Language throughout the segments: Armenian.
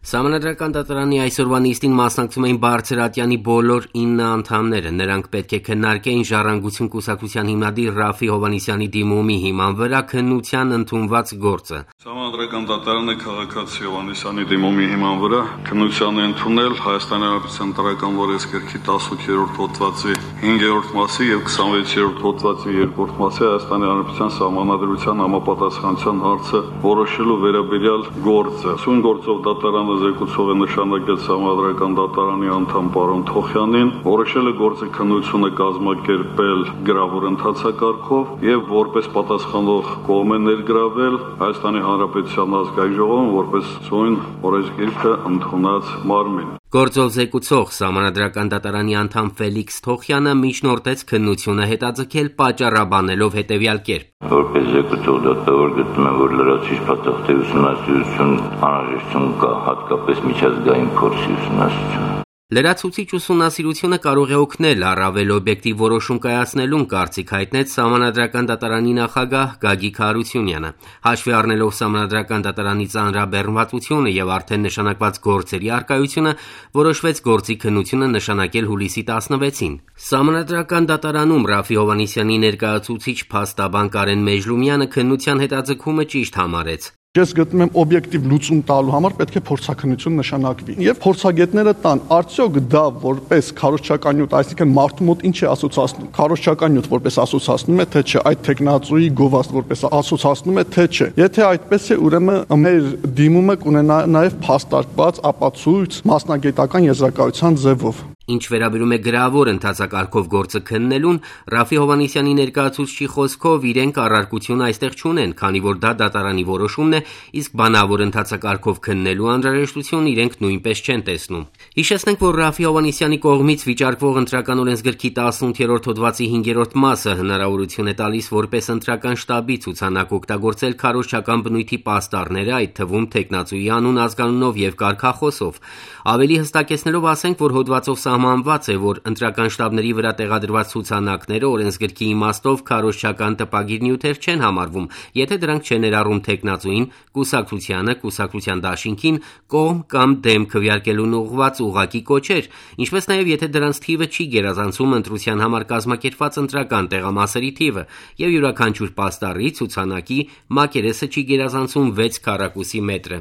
Սահմանադրական դատարանի այսօրվա նիստին մասնակցում էին Բարձրատյանի բոլոր 9 անդամները: Նրանք պետք է քննարկեին «Ժառանգություն» կուսակցության հիմնադիր Ռաֆֆի Հովհաննիսյանի դիմումի հիման վրա քննության ընդունված գործը: Սահմանադրական դատարանը քաղաքացի Հովհաննիսյանի դիմումի հիման վրա քննության է ընդունել Հայաստանի Հանրապետության Ընտրական օրենսգրքի 18-րդ հոդվածի 5-րդ մասի եւ 26-րդ հոդվածի 2-րդ մասի Հայաստանի Հանրապետության Սահմանադրության համապատասխանության հարցը որոշելու վերաբերյալ գործը: Սույն գործով դատարանը զեկուցող է նշանակել Սահմանադրական դատարանի անդամ պարոն Թոխյանին, որոշել է գործի քննությունը կազմակերպել գրավոր ընթացակարգով եւ որպես պատասխանող կողմ է ներգրավել Հայաստանի Հանրապետության ազգային ժողովում որպես սույն օրենսգիրքը ընդունած մարմին: Գործով զեկուցող Սահմանադրական դատարանի անդամ Ֆելիքս Թոխյանը միջնորդեց քննությունը հետաձգել պատճառաբանելով հետևյալ կերպ. Որպես զեկուցող դատավոր գտնում եմ, որ լրացուցիչ փաստաթղթերի ուսումնասիրություն անհրաժեշտություն կա, հատկապես միջազգային փորձի ուսումնասիրություն: Լրացուցիչ ուսումնասիրությունը կարող է օգնել առավել օբյեկտիվ որոշում կայացնելուն, կարծիք հայտնեց Սահմանադրական դատարանի նախագահ Գագիկ Հարությունյանը: Հաշվի առնելով Սահմանադրական դատարանի ծանրաբեռնվածությունը եւ արդեն նշանակված գործերի առկայությունը, որոշվեց գործի քննությունը նշանակել հուլիսի 16-ին: Սահմանադրական դատարանում Ռաֆֆի Հովհաննիսյանի ներկայացուցիչ փաստաբան Կարեն Մեժլումյանը քննության հետաձգումը ճիշտ համարեց: Ես գտնում եմ օբյեկտիվ լուծում տալու համար պետք է փորձաքննություն նշանակվի եւ փորձագետները տան արդյոք դա որպես քարոզչական նյութ, այսինքն մարդու մոտ ինչ է ասոցացնում, քարոզչական նյութ որպես ասոցացնում է թե չէ, այդ տեխնացուի գովազդ որպես ասոցացնում է թե չէ: Եթե այդպես է, ուրեմն մեր դիմումը կունենա նաեւ փաստարկված ապացույց մասնագիտական եզրակացության ձևով: Ինչ վերաբերում է գրավոր ընթացակարգով գործը քննելուն, Ռաֆֆի Հովհաննիսյանի ներկայացուցչի խոսքով իրենք առարկություն այստեղ չունեն, քանի որ դա դատարանի որոշումն է, իսկ բանավոր ընթացակարգով քննելու անհրաժեշտություն իրենք նույնպես չեն տեսնում: Հիշեցնենք, որ Ռաֆֆի Հովհաննիսյանի կողմից վիճարկվող Ընտրական օրենսգրքի 18-րդ հոդվածի 5-րդ մասը հնարավորություն է տալիս որպես ընտրական շտաբի ցուցանակ օգտագործել քարոզչական բնույթի պաստառները, այդ թվում թեկնածուի անուն, ազգանունով եւ կարգախոսով: Ավելի հստակեցնելով ասենք, որ հոդվածով սահմանված է, որ ընտրական շտաբների վրա տեղադրված ցուցանակները օրենսգրքի իմաստով քարոզչական տպագիր նյութեր չեն համարվում, եթե դրանք չեն ներառում թեկնածուին, կուսակցությանը, կուսակցության դաշինքին, կողմ կամ դեմ քվեարկելուն ուղղված ուղղակի կոչեր, ինչպես նաեւ եթե դրանց թիվը չի գերազանցում ընտրության համար կազմակերպված ընտրական տեղամասերի թիվը եւ յուրաքանչյուր պաստառի, ցուցանակի մակերեսը չի գերազանցում 6 քառակուսի մետրը: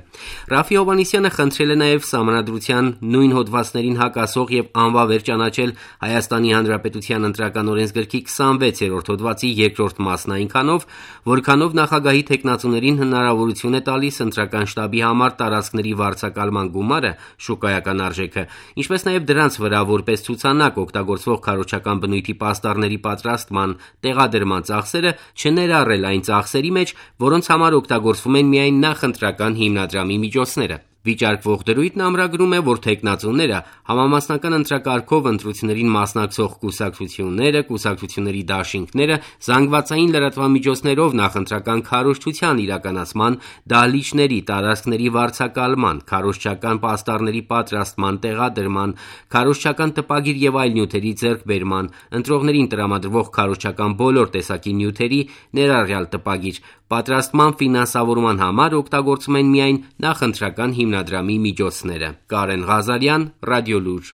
Ռաֆֆի Հովհաննիսյանը խնդրել է նաեւ Սահմանադրության նույն հոդվածներին հակասող եւ անվավեր ճանաչել Հայաստանի Հանրապետության Ընտրական օրենսգրքի 26-րդ հոդվածի 2-րդ մասն այնքանով, որքանով նախագահի թեկնածուներին հնարավորություն է տալիս ընտրական շտաբի համար տարածքների վարձակալման գումարը, շուկայական արժեքը, ինչպես նաեւ դրանց վրա որպես ցուցանակ օգտագործվող քարոզչական բնույթի պաստառների պատրաստման, տեղադրման ծախսերը չներառել այն ծախսերի մեջ, որոնց համար օգտագործվում են միայն նախընտրական հիմնադրամի միջոցները: Վիճարկվող դրույթն ամրագրում է, որ թեկնածուները համամասնական ընտրակարգով ընտրություններին մասնակցող կուսակցությունները, կուսակցությունների դաշինքները զանգվածային լրատվամիջոցներով նախընտրական քարոզչության իրականացման, դահլիճների, տարածքների վարձակալման, քարոզչական պաստառների պատրաստման, տեղադրման, քարոզչական տպագիր եւ այլ նյութերի ձեռքբերման, ընտրողներին տրամադրվող քարոզչական բոլոր տեսակի նյութերի, ներառյալ տպագիր, պատրաստման ֆինանսավորման համար օգտագործում են միայն նախընտրական հիմնադրամի միջոցները: Կարեն Ղազարյան, Ռադիոլուր: